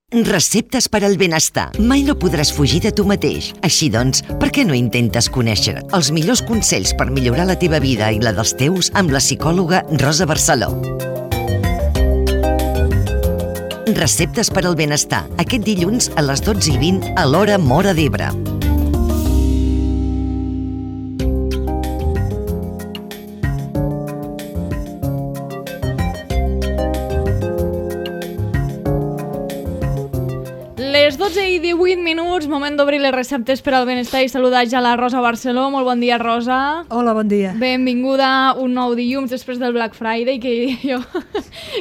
Receptes per al benestar. Mai no podràs fugir de tu mateix. Així doncs, per què no intentes conèixer els millors consells per millorar la teva vida i la dels teus amb la psicòloga Rosa Barceló? Receptes per al benestar. Aquest dilluns a les 12:20 a l'hora Móra d'Ebre. Les 12:18, moment d'obrir les receptes per al benestar i saludar ja la Rosa Barceló. Molt bon dia, Rosa. Hola, bon dia. Benvinguda un nou dilluns després del Black Friday, que jo...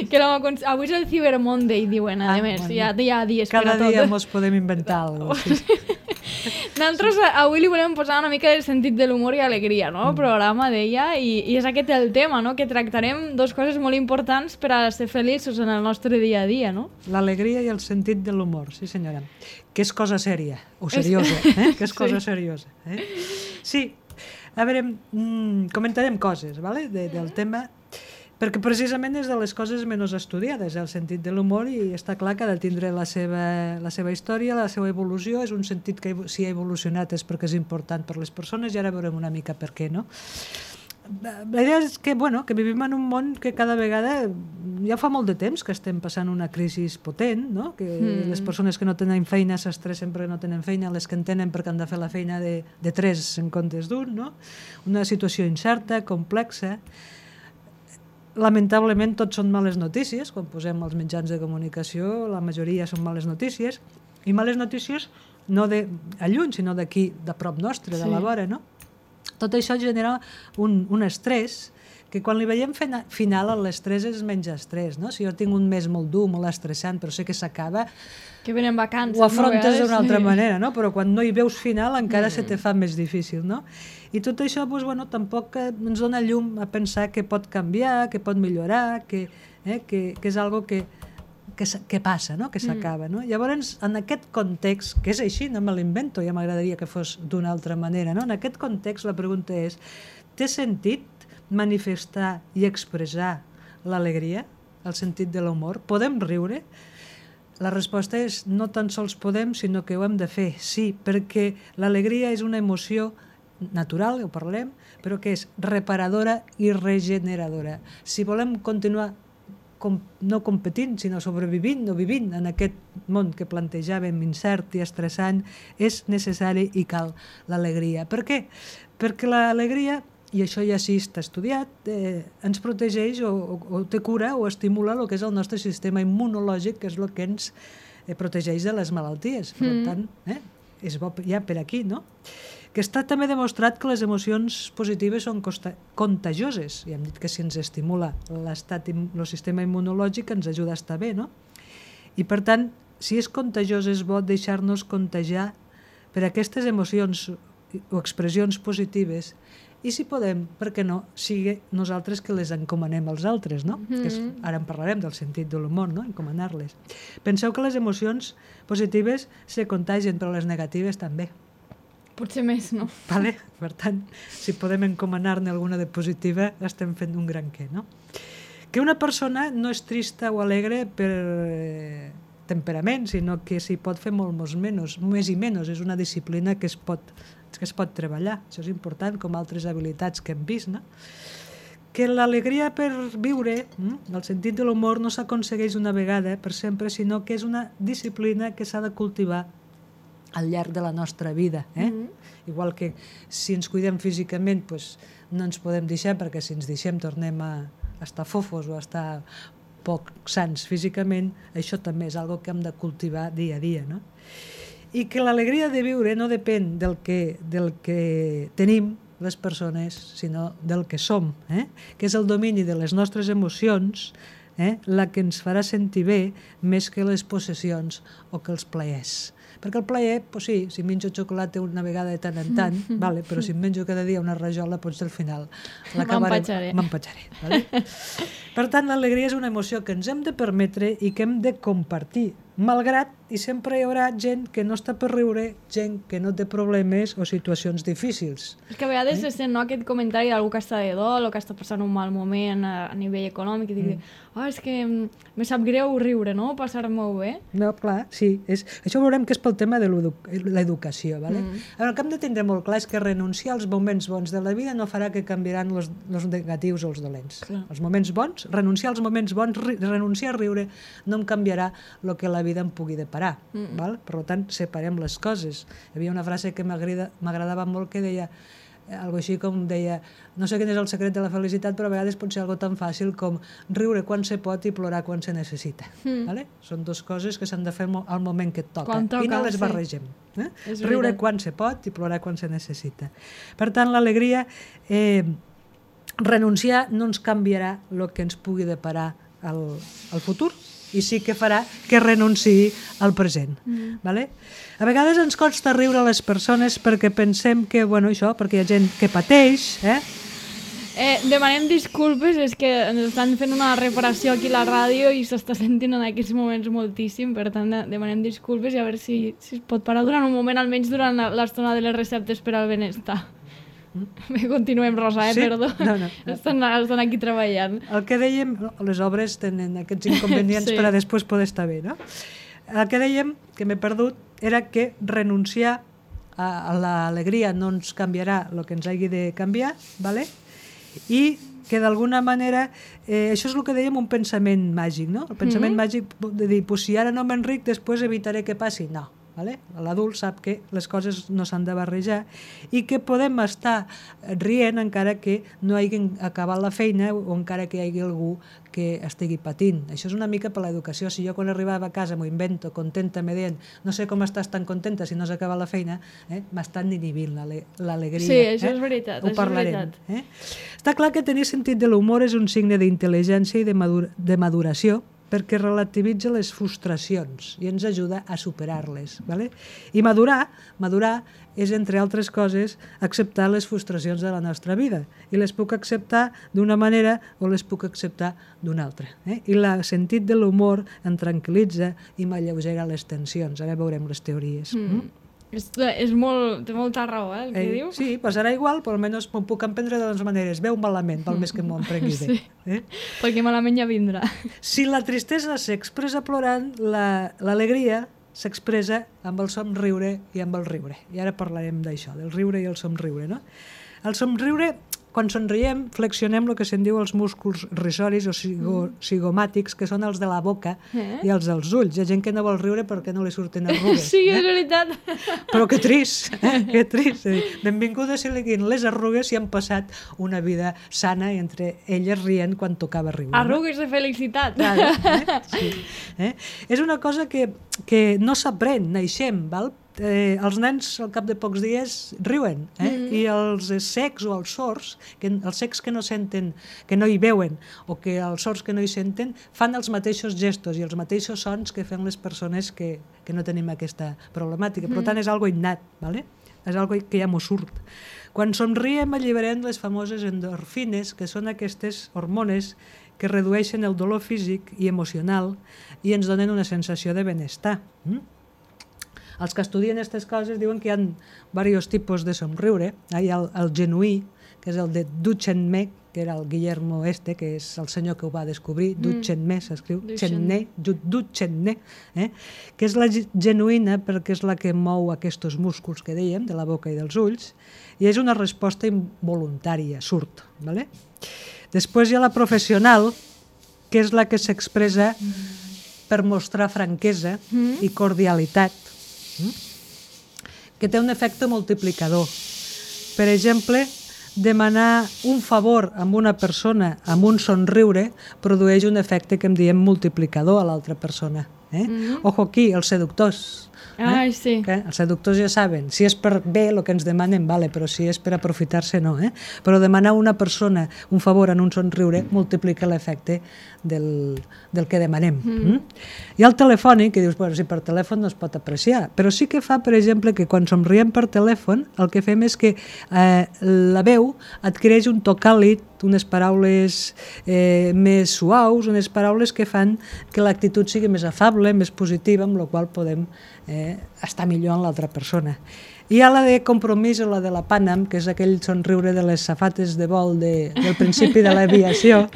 que avui és el Cyber Monday, diuen, a més. Bueno, hi ha dies per a tot. Cada dia ens podem inventar alguna cosa. Nosaltres avui li volem posar una mica de sentit de l'humor i alegria, no? El programa deia, i és aquest el tema, no? Que tractarem dos coses molt importants per a ser feliços en el nostre dia a dia, no? L'alegria i el sentit de l'humor, sí senyora. Que és cosa sèria, o seriosa, que és cosa seriosa. Sí, a veure, comentarem coses, ¿vale? Del tema, perquè precisament és de les coses menys estudiades, el sentit de l'humor, i està clar que ha de tindre la seva història, la seva evolució. És un sentit que si ha evolucionat és perquè és important per les persones, i ara veurem una mica per què, no? La idea és que, bueno, que vivim en un món que cada vegada, ja fa molt de temps que estem passant una crisi potent, no? Que les persones que no tenen feina s'estressen perquè no tenen feina, les que en tenen perquè han de fer la feina de tres en comptes d'un, no? Una situació incerta, complexa. Lamentablement tot són males notícies. Quan posem els mitjans de comunicació, la majoria són males notícies, i males notícies no de lluny, sinó d'aquí, de prop nostre, de la vora, no? Tot això genera un estrès, que quan li veiem final, l'estrès és menys estrès, no? Si jo tinc un mes molt dur, molt estressant, però sé que s'acaba, que venen vacances, ho afrontes d'una altra manera, no? Però quan no hi veus final encara se te fa més difícil, no? I tot això, doncs, bueno, tampoc ens dona llum a pensar que pot canviar, que pot millorar, que és algo que passa, no? Que s'acaba, no? Llavors, en aquest context, que és així, no me l'invento, ja m'agradaria que fos d'una altra manera, no? En aquest context la pregunta és: té sentit manifestar i expressar l'alegria, el sentit de l'humor? Podem riure? La resposta és: no tan sols podem, sinó que ho hem de fer, sí, perquè l'alegria és una emoció natural, ho parlem, però que és reparadora i regeneradora. Si volem continuar no competint, sinó sobrevivint o vivint en aquest món que plantejàvem incert i estressant, és necessari i cal l'alegria. Per què? Perquè l'alegria, i això ja sí està estudiat, ens protegeix o té cura o estimula el que és el nostre sistema immunològic, que és el que ens protegeix de les malalties. Per tant, és bo ja per aquí, no? Que està també demostrat que les emocions positives són contagioses. Ja hem dit que si ens estimula el sistema immunològic ens ajuda a estar bé, no? I per tant, si és contagiós, és bo deixar-nos contagiar per aquestes emocions o expressions positives, i si podem, per què no, sigui nosaltres que les encomanem als altres, no? Ara en parlarem del sentit de l'humor, no? Encomanar-les. Penseu que les emocions positives se contagien, però les negatives també. Potser més, no? Vale? Per tant, si podem encomanar-ne alguna de positiva, estem fent un gran què, no? Que una persona no és trista o alegre per temperament, sinó que s'hi pot fer més i menys. És una disciplina que es pot treballar. Això és important, com altres habilitats que hem vist, no? Que l'alegria per viure, el sentit de l'humor, no s'aconsegueix una vegada per sempre, sinó que és una disciplina que s'ha de cultivar al llarg de la nostra vida. Igual que si ens cuidem físicament, no ens podem deixar, perquè si ens deixem tornem a estar fofos o a estar poc sants físicament. Això també és una cosa que hem de cultivar dia a dia, no? I que l'alegria de viure no depèn del que tenim les persones, sinó del que som, que és el domini de les nostres emocions, la que ens farà sentir bé més que les possessions o que els plaers. Perquè el plaer, sí, si menjo xocolata una vegada de tant en tant, vale, però si em menjo cada dia una rajola, potser al final m'empatxaré. Vale? Per tant, l'alegria és una emoció que ens hem de permetre i que hem de compartir malgrat, i sempre hi haurà gent que no està per riure, gent que no té problemes o situacions difícils. És que a vegades se sent aquest comentari d'algú que està de dol o que està passant un mal moment a nivell econòmic i digui, és que me sap greu riure, no? Passar-m'ho bé. No, clar, sí. Això veurem que és pel tema de l'educació. Vale? El que hem de tindre molt clar és que renunciar als moments bons de la vida no farà que canviaran els negatius o els dolents. Clar. Els moments bons, renunciar als moments bons, renunciar a riure, no em canviarà el que la vida em pugui deparar. Val? Per tant, separem les coses. Hi havia una frase que m'agradava molt que deia, algo així com deia, no sé quin és el secret de la felicitat, però a vegades pot ser algo tan fàcil com riure quan se pot i plorar quan se necessita. Vale? Són dues coses que s'han de fer al moment que et toca, i no les barregem. Riure quan se pot i plorar quan se necessita. Per tant, l'alegria, renunciar no ens canviarà el que ens pugui deparar al futur, i sí que farà que renunciï al present. Vale? A vegades ens costa riure a les persones perquè pensem que, bueno, això, perquè hi ha gent que pateix, demanem disculpes, és que ens estan fent una reparació aquí a la ràdio i s'està sentint en aquests moments moltíssim, per tant demanem disculpes i a veure si es pot parar durant un moment, almenys durant l'estona de les receptes per al benestar. Continuem, Rosa, sí? perdó. No. Estan aquí treballant. El que dèiem, les obres tenen aquests inconvenients per a després poder estar bé, no? El que dèiem, que m'he perdut, era que renunciar a l'alegria no ens canviarà el que ens hagi de canviar, ¿vale? I que d'alguna manera, això és el que dèiem, un pensament màgic, no? El pensament màgic de dir, pues, si ara no m'enric, després evitaré que passi. No. Vale? L'adult sap que les coses no s'han de barrejar i que podem estar rient encara que no hagin acabat la feina o encara que hi hagi algú que estigui patint. Això és una mica per l'educació. Si jo quan arribava a casa m'ho invento, contenta, me deien, no sé com estàs tan contenta si no s'ha acabat la feina, m'estan inhibint l'alegria. Sí, això és veritat. Ho parlarem. Està clar que tenir sentit de l'humor és un signe d'intel·ligència i de maduració, perquè relativitza les frustracions i ens ajuda a superar-les. Vale? I madurar és, entre altres coses, acceptar les frustracions de la nostra vida. I les puc acceptar d'una manera o les puc acceptar d'una altra. I el sentit de l'humor em tranquil·litza i m'alleugera les tensions. Ara veurem les teories. Té molta raó, el que diu. Sí, passarà igual, però almenys m'ho puc emprendre de les maneres. Veu malament, pel més que m'ho emprengui bé. Perquè malament ja vindrà. Si la tristesa s'expressa plorant, l'alegria s'expressa amb el somriure i amb el riure. I ara parlarem d'això, del riure i el somriure. No? El somriure, quan somriem, flexionem el que se'n diu els músculs risoris o zigomàtics, que són els de la boca i els dels ulls. Hi ha gent que no vol riure perquè no li surten arrugues. Sí, és veritat. Però que trist, que trist. Benvingudes si li guin les arrugues si han passat una vida sana i entre elles rient quan tocava riure. Arrugues de felicitat. Sí. És una cosa que no s'aprèn, naixem, val? Els nens al cap de pocs dies riuen i els cecs o els sords, els cecs que no senten, que no hi veuen o que els sords que no hi senten fan els mateixos gestos i els mateixos sons que fan les persones que no tenim aquesta problemàtica. Per tant, és algo innat, ¿vale? És algo que ja m'ho surt. Quan somriem alliberem les famoses endorfines, que són aquestes hormones que redueixen el dolor físic i emocional i ens donen una sensació de benestar. Els que estudien aquestes coses diuen que hi ha diversos tipus de somriure. Hi ha el genuí, que és el de Duchenne, que era el Guillermo que és el senyor que ho va descobrir. Duchenne s'escriu, Duchenne, que és la genuïna perquè és la que mou aquests músculs que dèiem, de la boca i dels ulls, i és una resposta involuntària, surt. Vale? Després hi ha la professional, que és la que s'expressa per mostrar franquesa i cordialitat, que té un efecte multiplicador. Per exemple, demanar un favor a una persona amb un somriure produeix un efecte que en diem multiplicador a l'altra persona. Ojo aquí, els seductors. Ai, sí. Els seductors ja saben, si és per bé el que ens demanen, vale, però si és per aprofitar-se, no. Però demanar a una persona un favor en un somriure multiplica l'efecte del que demanem. Hi ha el telefònic, que dius, bueno, si per telèfon no es pot apreciar, però sí que fa, per exemple, que quan somriem per telèfon, el que fem és que la veu adquireix un to càlid, unes paraules més suaus, unes paraules que fan que l'actitud sigui més afable, més positiva, amb la qual podem estar millor en l'altra persona. Hi ha la de compromís o la de la Panam, que és aquell somriure de les safates de vol del principi de l'aviació,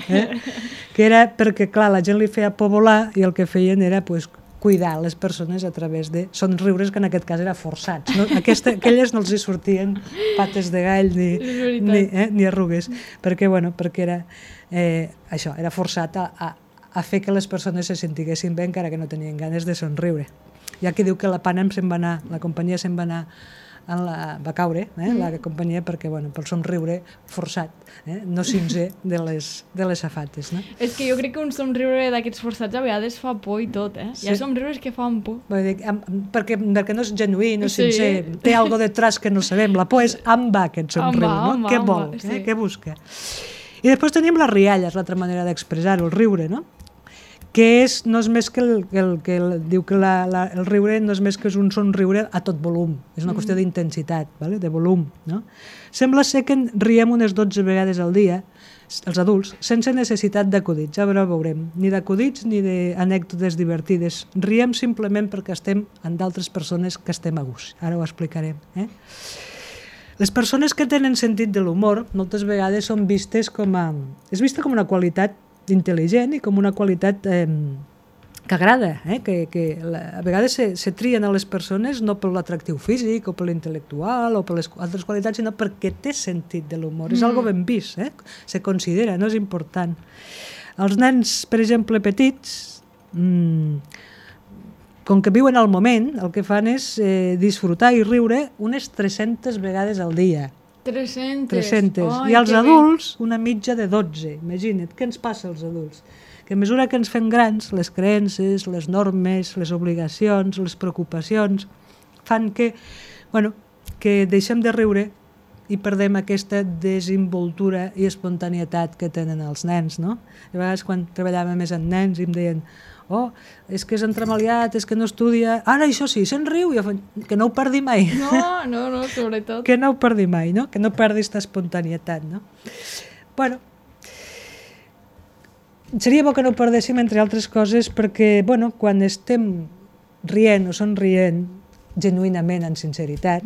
que era perquè, clar, la gent li feia por volar i el que feien era cuidar les persones a través de somriures que en aquest cas era forçats. No? Aquelles no els hi sortien pates de gall ni arrugues, perquè era això, era forçat a fer que les persones se sentiguessin bé encara que no tenien ganes de somriure. Hi ha qui diu que la Panam la companyia se'n va anar va caure, la companyia, perquè, pel somriure forçat, no sincer de les safates. No? És que jo crec que un somriure d'aquests forçats a vegades fa por i tot, Sí. Hi ha somriures que fan por. Perquè no és genuí, no és sincer, té algo detrás que no sabem. La por és on va aquest somriure, no? Què vol, què busca. I després tenim les rialles, l'altra manera d'expressar-ho, el riure, no? Que no és més que diu que el riure no és més que és un somriure a tot volum, és una qüestió d'intensitat, de volum. No? Sembla ser que riem unes 12 vegades al dia, els adults, sense necessitat d'acudits, ja veurem, ni d'acudits ni d'anècdotes divertides. Riem simplement perquè estem amb d'altres persones que estem a gust, ara ho explicarem. Les persones que tenen sentit de l'humor moltes vegades són vistes és vista com una qualitat intel·ligent i com una qualitat que agrada, que a vegades se trien a les persones no per l'atractiu físic o per l'intel·lectual o per les altres qualitats, sinó perquè té sentit de l'humor. És algo ben vist, se considera, no és important. Els nens, per exemple, petits, com que viuen al moment, el que fan és disfrutar i riure unes 300 vegades al dia. 300. I els adults, una mitja de 12. Imagina't, què ens passa als adults? Que a mesura que ens fem grans, les creences, les normes, les obligacions, les preocupacions, fan que deixem de riure i perdem aquesta desenvoltura i espontanietat que tenen els nens, no? A vegades quan treballàvem més amb nens i em deien és que és entremaliat, és que no estudia... Ara, això sí, se'n riu, que no ho perdi mai. No, sobretot. Que no ho perdi mai, no? Que no perdi aquesta espontanietat, no? Seria bo que no ho perdéssim, entre altres coses, perquè, quan estem rient o somrient, genuïnament, en sinceritat,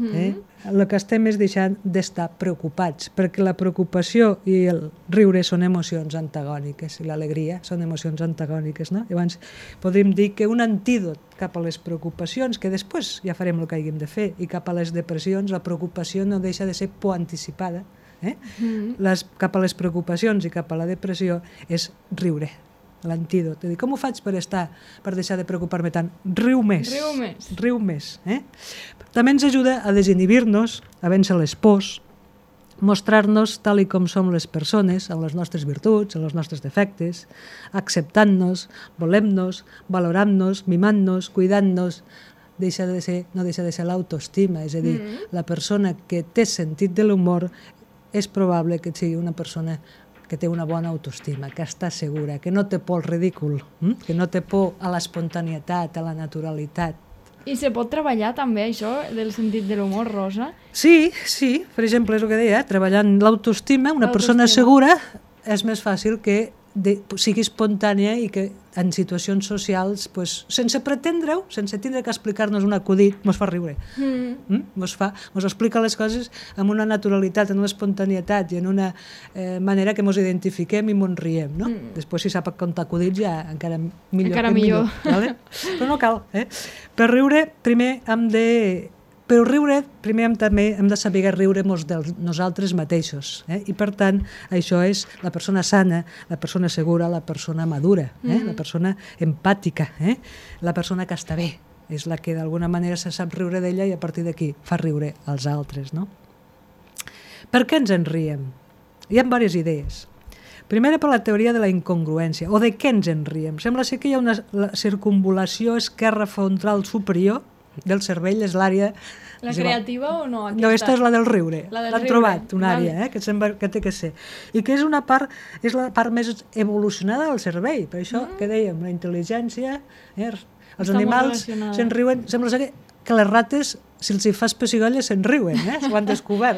el que estem és deixant d'estar preocupats, perquè la preocupació i el riure són emocions antagòniques, i l'alegria són emocions antagòniques, no? Llavors, podríem dir que un antídot cap a les preocupacions, que després ja farem el que haguem de fer, i cap a les depressions, la preocupació no deixa de ser por anticipada, cap a les preocupacions i cap a la depressió és riure. L'antídot. Com ho faig per deixar de preocupar-me tant? Riu més. També ens ajuda a desinhibir-nos, a vèncer les pors, mostrar-nos tal i com som les persones, amb les nostres virtuts, amb els nostres defectes, acceptant-nos, volem-nos, valorant-nos, mimant-nos, cuidant-nos. No deixa de ser l'autoestima, és a dir, la persona que té sentit de l'humor és probable que sigui una persona que té una bona autoestima, que està segura, que no té por al ridícul, que no té por a l'espontanietat, a la naturalitat. I se pot treballar també això del sentit de l'humor, Rosa? Sí, per exemple, és el que deia, treballant l'autoestima, una persona segura és més fàcil que sigui espontània i que en situacions socials, sense pretendre-ho, sense tindre que explicar-nos un acudit, mos fa riure. Mos explica les coses amb una naturalitat, amb una espontanietat i en una manera que mos identifiquem i mos riem. Després, si sap contar acudits, ja encara millor. Però no cal. Per riure, primer també hem de saber riure-nos de nosaltres mateixos. I per tant, això és la persona sana, la persona segura, la persona madura, la persona empàtica, la persona que està bé. És la que d'alguna manera se sap riure d'ella i a partir d'aquí fa riure als altres. Per què ens en riem? Hi ha diverses idees. Primera, per la teoria de la incongruència, o de què ens en riem. Sembla ser que hi ha una circunvolació esquerra frontal superior del cervell és l'àrea... La creativa o no? No, aquesta és la del riure. L'han trobat, una àrea, que sembla que té que ser. I que és la part més evolucionada del cervell. Per això, que dèiem, la intel·ligència, els animals se'n riuen, sembla que les rates, si els hi fas pessigolles, se'n riuen, ho han descobert.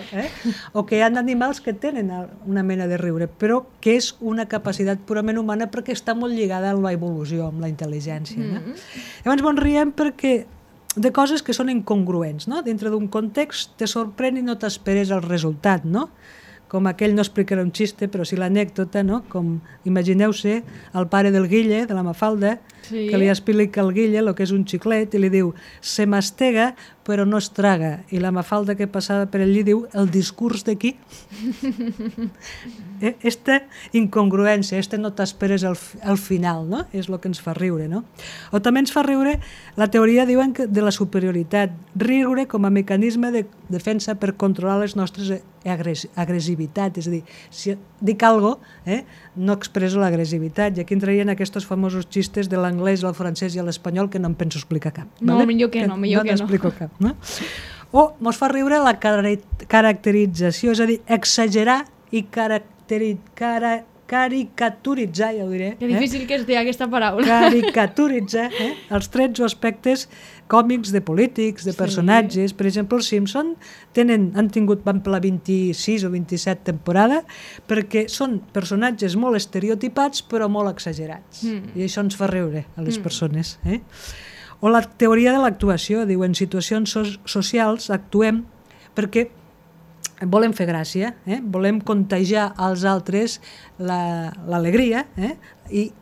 O que hi ha animals que tenen una mena de riure, però que és una capacitat purament humana perquè està molt lligada amb la evolució, amb la intel·ligència. Llavors ens riem perquè de coses que són incongruents, no? Dintre d'un context te sorprèn i no t'esperes el resultat, no? Com aquell, no explicaré un xiste, però sí l'anècdota, no? Com, imagineu-se, el pare del Guille, de la Mafalda, que li explica al Guille el que és un xiclet i li diu, se mastega però no es traga. I la Mafalda que passava per allí diu, el discurs de qui? Esta incongruència, no t'esperes al final, no? És el que ens fa riure, no? O també ens fa riure, la teoria diuen de la superioritat, riure com a mecanisme de defensa per controlar les nostres agressivitats, és a dir, si dic alguna cosa, no expresso l'agressivitat, i aquí entrarien aquests famosos xistes de l'anglès, el francès i l'espanyol que no em penso explicar cap. No, millor que no. No n'explico cap. No? O mos fa riure la caracterització, és a dir, exagerar i caricaturitzar, ja ho diré. Que difícil que es digui aquesta paraula. Caricaturitzar els trets o aspectes còmics de polítics, de personatges. Per exemple, els Simpson han tingut, van per la 26 o 27 temporada, perquè són personatges molt estereotipats però molt exagerats. I això ens fa riure a les persones. O la teoria de l'actuació, diu, en situacions socials actuem perquè volem fer gràcia, volem contagiar als altres l'alegria i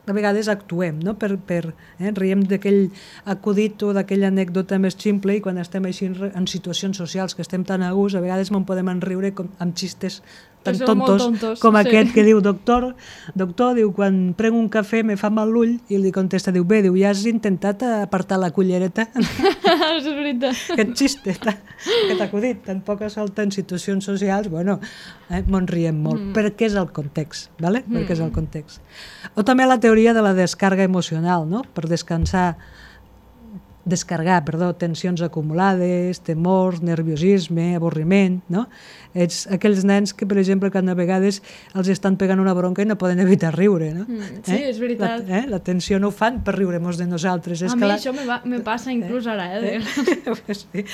a vegades actuem, no? Riem d'aquell acudit o d'aquella anècdota més ximple i quan estem així en situacions socials que estem tan a gust, a vegades me'n podem enriure amb xistes tan tontos com aquest que diu, doctor, diu, quan prenc un cafè me fa mal l'ull, i li contesta, diu, bé, ja has intentat apartar la cullereta? És veritat. Aquest xiste, aquest acudit, tampoc salta en situacions socials, bueno, me'n riem molt, perquè és el context, ¿vale? Perquè és el context. O també la teoria de la descarga emocional, no? Per descarregar tensions acumulades, temors, nerviosisme, avorriment, no? Ets aquells nens que, per exemple, que a vegades els estan pegant una bronca i no poden evitar riure, no? Sí, és veritat. La tensió no ho fan per riure-nos de nosaltres. A mi això me passa inclús ara, Sí.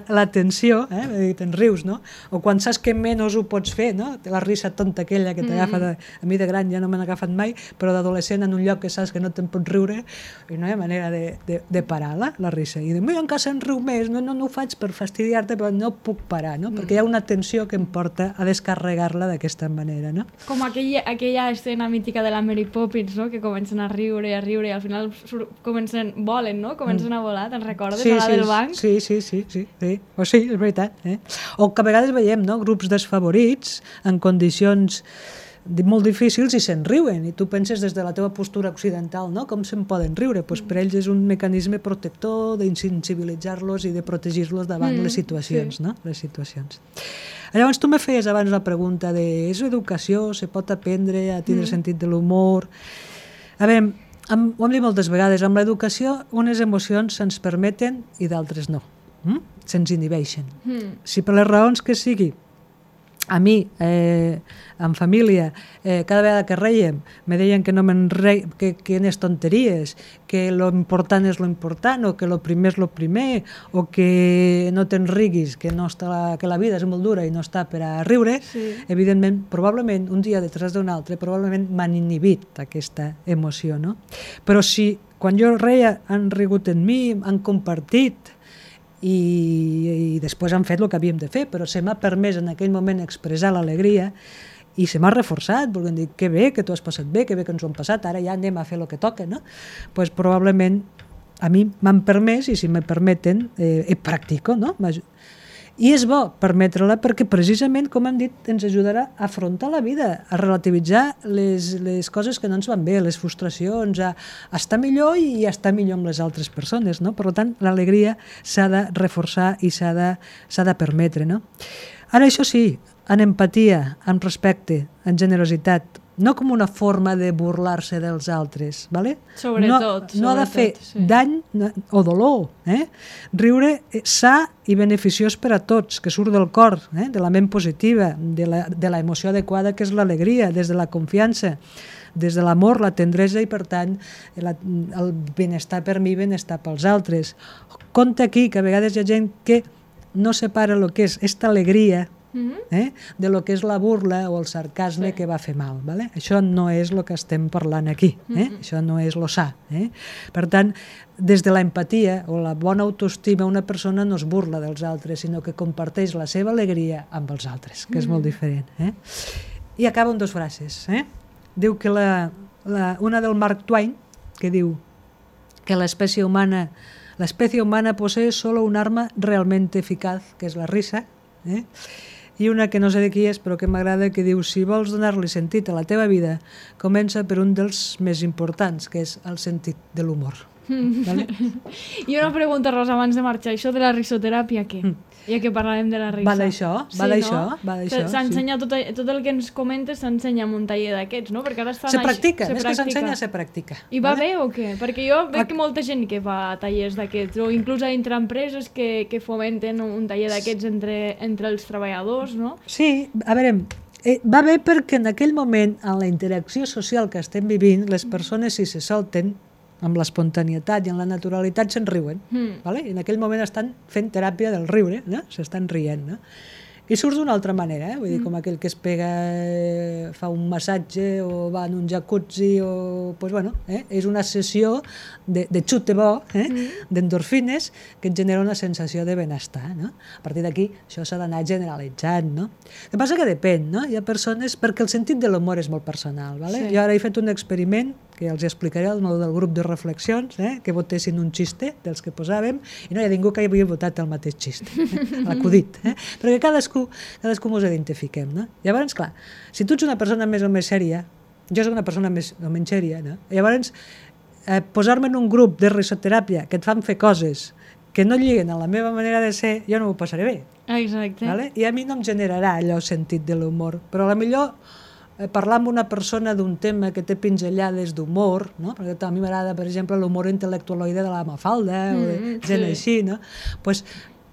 La tensió, te'n rius, no? O quan saps que menys ho pots fer, no? La risa tonta aquella que t'agafa, a mi de gran ja no me n'ha agafat mai, però d'adolescent en un lloc que saps que no te'n pots riure i no hi ha manera de parar la risa. I dic, en casa em riu més, no ho faig per fastidiar-te, però no puc parar, no? Perquè hi ha una tensió que em porta a descarregar-la d'aquesta manera, no? Com aquella escena mítica de la Mary Poppins, no? Que comencen a riure i al final volen, no? Comencen a volar, te'n recordes? A la del banc? Sí. O sí, és veritat. O que a vegades veiem, no? Grups desfavorits en condicions molt difícils i se'n riuen, i tu penses des de la teva postura occidental, no? Com se'n poden riure? Pues per ells és un mecanisme protector d'insensibilitzar-los i de protegir-los davant les situacions, no? Les situacions. Llavors tu me feies abans la pregunta de és educació, se pot aprendre a tindre sentit de l'humor? A veure, ho hem dit moltes vegades, amb l'educació unes emocions se'ns permeten i d'altres no. Se'ns inhibeixen. Si per les raons que sigui, a mi, en família, cada vegada que reiem, me deien que no me'n rei, que eren tonteries, que lo important és lo important, o que lo primer és lo primer, o que no te'n riguis, que la vida és molt dura i no està per a riure, evidentment, probablement, un dia detrás d'un altre, probablement m'han inhibit aquesta emoció, no? Però si quan jo reia han rigut en mi, han compartit, i després han fet el que havíem de fer, però se m'ha permès en aquell moment expressar l'alegria i se m'ha reforçat, volent dir, que bé que t'ho has passat bé, que bé que ens ho hem passat, ara ja anem a fer el que toca, no? Pues probablement a mi m'han permès, i si me permeten, practico, no? I és bo permetre-la perquè precisament, com hem dit, ens ajudarà a afrontar la vida, a relativitzar les coses que no ens van bé, les frustracions, a estar millor i a estar millor amb les altres persones, no? Per tant, l'alegria s'ha de reforçar i s'ha de permetre, no? Ara, això sí, en empatia, en respecte, en generositat, no com una forma de burlar-se dels altres, ¿vale? Sobretot. No ha de fer dany o dolor. Riure sa i beneficiós per a tots, que surt del cor, de la ment positiva, de la emoció adequada, que és l'alegria, des de la confiança, des de l'amor, la tendresa i, per tant, el benestar per mi, benestar pels altres. Compte aquí que a vegades hi ha gent que no separa el que és esta alegria de lo que és la burla o el sarcasme que va fer mal. ¿Vale? Això no és el que estem parlant aquí. Això no és lo sa. Per tant, des de l'empatia o la bona autoestima, una persona no es burla dels altres, sinó que comparteix la seva alegria amb els altres, que és molt diferent. I acaba amb 2 frases. Diu que una del Mark Twain, que diu que l'espècie humana posee solo un arma realmente eficaz, que és la risa, i una que no sé de qui és, però que m'agrada, que diu: si vols donar-li sentit a la teva vida, comença per un dels més importants, que és el sentit de l'humor. Vale? I una pregunta, Rosa, abans de marxar, això de la risoteràpia, què? Ja que parlarem de la risa. Va d'això. S'ensenya tot el que ens comentes, s'ensenya en un taller d'aquests, no? Perquè ara estan... Se practica, més que s'ensenya, se practica. I va bé o què? Perquè jo veig que molta gent que va a tallers d'aquests, o inclús entre empreses que fomenten un taller d'aquests entre els treballadors, no? Sí, a veure, va bé perquè en aquell moment, en la interacció social que estem vivint, les persones, si se solten, amb l'espontanietat i amb la naturalitat, se'n riuen. Vale? I en aquell moment estan fent teràpia del riure, no? S'estan rient. No? I surt d'una altra manera, vull dir, com aquell que es pega, fa un massatge o va en un jacuzzi, o, pues bueno, és una sessió de xute bo, d'endorfines, que et genera una sensació de benestar. No? A partir d'aquí, això s'ha d'anar generalitzant. No? El que passa que depèn, no? Hi ha persones, perquè el sentit de l'humor és molt personal. Vale? Jo ara he fet un experiment que els explicaré al del grup de reflexions, que votessin un xiste dels que posàvem, i no hi ha ningú que havia votat el mateix xiste, l'acudit. Perquè cadascú mos identifiquem. No? Llavors, clar, si tu ets una persona més o més sèria, jo soc una persona més o menys sèria, no? Llavors, posar-me en un grup de risoteràpia que et fan fer coses que no lliguen a la meva manera de ser, jo no m'ho passaré bé. Exacte. Vale? I a mi no em generarà allò sentit de l'humor, però potser parlar amb una persona d'un tema que té pinzellades d'humor, no? Perquè a mi m'agrada, per exemple, l'humor intel·lectualoide de la Mafalda, o de gent així, no? Pues,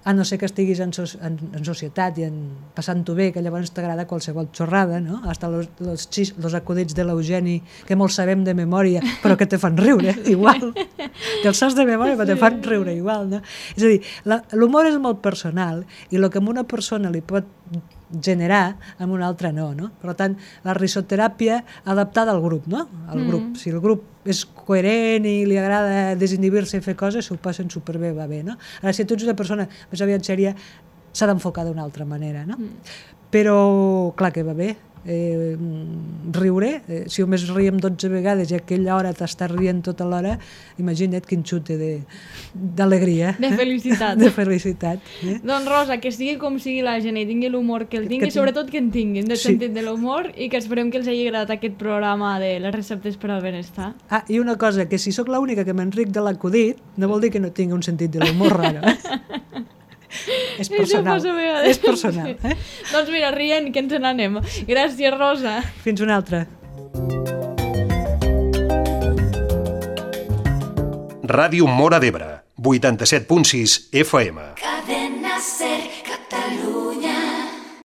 a no ser que estiguis en societat i passant-ho bé, que llavors t'agrada qualsevol xorrada, no? Hasta los acudits de l'Eugeni, que molt sabem de memòria, però que te fan riure, igual. Te'ls saps de memòria, però te fan riure igual, no? És a dir, l'humor és molt personal, i el que a una persona li pot generar, amb una altra no. Per tant, la risoteràpia adaptada al grup, no? Al grup. Si el grup és coherent i li agrada desinhibir-se i fer coses, s'ho passen superbé, va bé, no? Ara, si tu ets una persona més aviat sèria, s'ha d'enfocar d'una altra manera, no? Però, clar que va bé. Riure, si només riem 12 vegades i a aquella hora t'estàs rient tota l'hora, imagina't quin xute d'alegria. De felicitat. De felicitat. Doncs Rosa, que sigui com sigui la gent i tingui l'humor que el tingui, sobretot que en tinguin, del sentit de l'humor, i que esperem que els hagi agradat aquest programa de les receptes per al benestar. Ah, i una cosa, que si sóc l'única que m'enric de l'acudit, no vol dir que no tingui un sentit de l'humor raro, És personal. És personal. Doncs mira, rient, que ens n'anem. Gràcies, Rosa. Fins una altra. Ràdio Móra d'Ebre, 87.6 FM. Cadena Ser Catalunya.